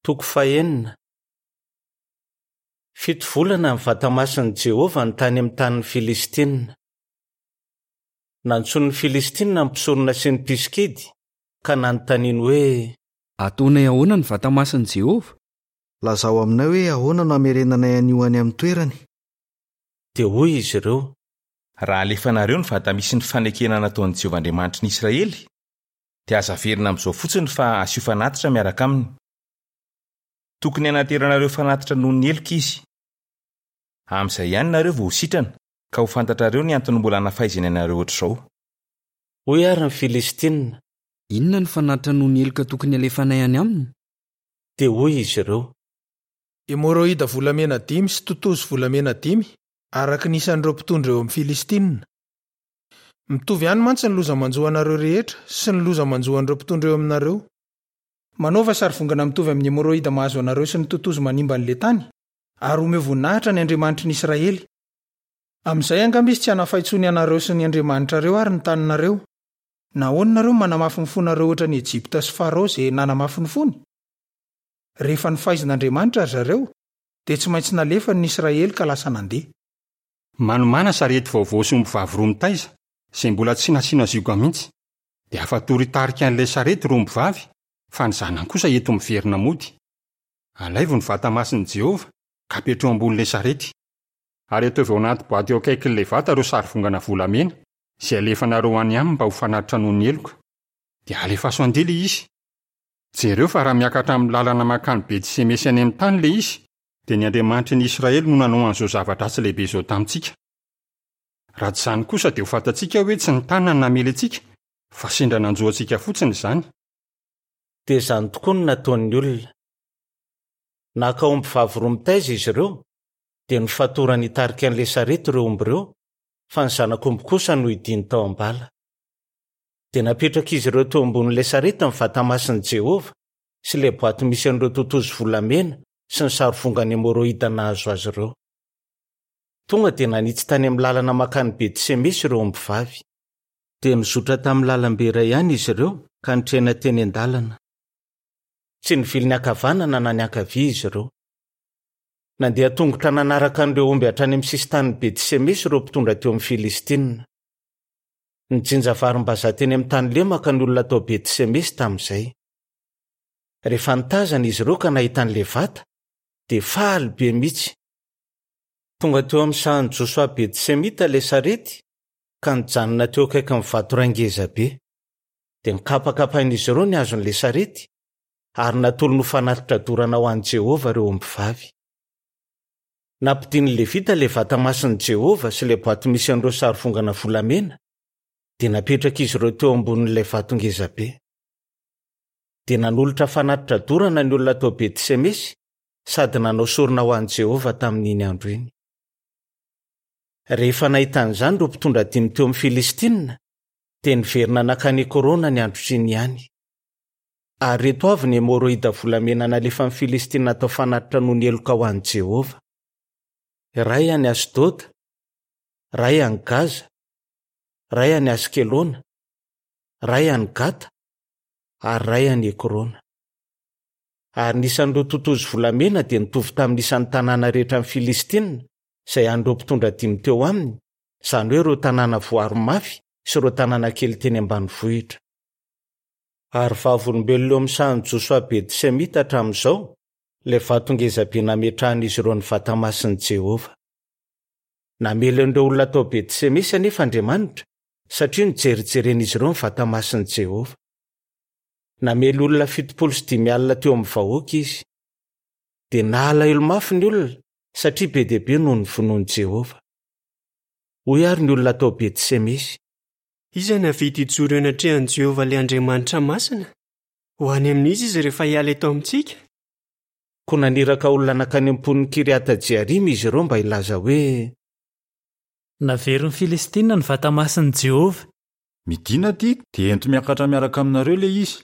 Toko fahenina. Fito volana ny vatamasin'i Jehovah no tany amin'ny tanin'ny Filistinina. Nantsoin'ny Filistinina ny mpisorona sy ny mpisikidy, ka nanontaniany hoe. Ataonay ahoana ny vatamasin'i Jehovah? Lazao aminay hoe ahoana no hamerenanay an'io any amin'ny toerany. Dia hoy izy ireo. Raha alefanareo ny vata misy ny fanekena nataon'i Jehovah Andriamanitry ny Israely, dia aza averina amin'izao fotsiny fa asio fanatitra miaraka aminy. Tokony hanateranareo fanatitra noho ny heloka izy. Amin'izay ihany nareo vao ho sitrana, ka ho fantatrareo ny antony mbola anafaizany anareo hoatr'izao. Hoy àry ny Filistinina. Inona no fanatitra noho ny heloka tokony halefanay any aminy? Dia hoy izy ireo. Hemorroida volamena dimy sy totozy volamena dimy, araka ny isan'ireo mpitondra eo amin'ny Filistinina. Mitovy ihany mantsy ny loza manjo anareo rehetra sy ny loza manjo an'ireo mpitondra eo aminareo. Manaova sarivongana mitovy amin'ny hemorroida mahazo anareo sy ny totozy manimba an'ilay tany, ary omeo voninahitra ny Andriamanitry ny Israely. Amin'izay angamba izy tsy hanafay intsony anareo sy ny andriamanitrareo ary ny taninareo. Nahoana nareo no manamafy ny fonareo hoatran'i Ejipta sy Farao izay nanamafy ny fony? Rehefa nofaizin'Andriamanitra ry zareo, dia tsy maintsy nalefany ny Israely ka lasa nandeha. Manomàna sarety vaovao sy ombivavy roa mitaiza, izay mbola tsy nasiana zioga mihitsy. Dia afatory hitarika an'ilay sarety ireo ombivavy, fa ny zanany kosa ento miverina mody. Alaivo ny Vata masin'i Jehovah, ka apetraho ambonin'ilay sarety. Ary ataovy ao anaty boaty eo akaikin'ilay vata ireo sarivongana volamena, izay alefanareo any aminy mba ho fanatitra noho ny heloka. Dia alefaso handeha ilay izy. Jereo fa raha miakatra amin'ny lalana mankany Beti-semesy any amin'ny tany ilay izy, dia ny Andriamanitry ny Israely no nanao an'izao zava-dratsy lehibe izao tamintsika. Raha tsy izany kosa dia ho fantatsika hoe tsy ny tanany namely antsika, fa sendra nanjo antsika fotsiny izany. Dia izany tokoa no nataon'ny olona. Naka ombivavy roa mitaiza izy ireo, dia nofatorany hitarika an'ilay sarety ireo omby ireo, fa ny zanak'omby kosa nohidiany tao am-bala. Dia napetrak'izy ireo teo ambonin'ilay sarety ny Vatamasin'i Jehovah sy ilay boaty misy an'ireo totozy volamena sy ny sarivongana hemorroida nahazo azy ireo. Tonga dia nanitsy tany amin'ny lalana mankany Beti-semesy ireo ombivavy. Dia nizotra tamin'ny lalambe iray ihany izy ireo ka nitrena teny an-dalana. Tsy nivily niankavanana na niankavia izy ireo. Nandeha tongotra nanaraka an'ireo omby hatrany amin'ny sisin-tanin'i Beti-semesy ireo mpitondra teo amin'ny Filistinina. Nijinja varimbazaha teny amin'ny tany lemaka ny olona tao Beti-semesy tamin'izay. Rehefa nitazana izy ireo ka nahita an'ilay vata, dia faly be mihitsy. Tonga teo amin'ny sahan'i Josoa Beti-semita ilay sarety, ka nijanona teo akaikin'ny vato iray ngezabe. Dia nokapakapain'izy ireo ny hazon'ilay sarety, ary natolony ho fanatitra dorana ho an'i Jehovah ireo ombivavy. Nampidinin'ny Levita ilay vata masin'i Jehovah sy ilay boaty misy an'ireo sarivongana volamena, dia napetrak'izy ireo teo ambonin'ilay vato ngezabe. Dia nanolotra fanatitra dorana ny olona tao Beti-semesy sady nanao sorona ho an'i Jehovah tamin'iny andro iny. Rehefa nahita an'izany ireo mpitondra dimy teo amin'ny Filistinina, dia niverina nankany Ekrona ny androtr'iny ihany. Ary ireto avy ny hemorroida volamena nalefan'ny Filistinina hatao fanatitra noho ny heloka ho an'i Jehovah, Iray any Asdoda, iray any Gaza, iray any Askelona, iray any Gata, ary iray any Ekrona. Ary ny isan'ireo totozy volamena dia nitovy tamin'ny isan'ny tanàna rehetra an'ny Filistinina, izay an'ireo mpitondra dimy teo aminy, izany hoe ireo tanàna voaro mafy sy ireo tanàna kely teny ambanivohitra. Ary vavolombelona eo amin'ny sahan'i Josoa Beti-semita hatramin'izao ilay vato ngezabe nametrahan'izy ireo ny Vatamasin'i Jehovah. Namely an'ireo olona tao Beti-semesy anefa Andriamanitra, satria nijerijeren'izy ireo ny Vatamasin'i Jehovah. Namely olona 50 teo amin'ny vahoaka izy. Dia nalahelo mafy ny olona, satria be dia be no novonoin'i Jehovah. Hoy àry ny olona tao Beti-semesy. Iza no hahavita hijoro eo anatrehan'i Jehovah ilay Andriamanitra masina? Ho any amin'iza izy rehefa hiala eto amintsika? Koa naniraka olona nankany amin'ny mponin'i Kiriata-jearima izy ireo mba hilaza hoe. Naverin'ny Filistinina ny Vatamasin'i Jehovah. Midina aty dia ento miakatra miaraka aminareo ilay izy.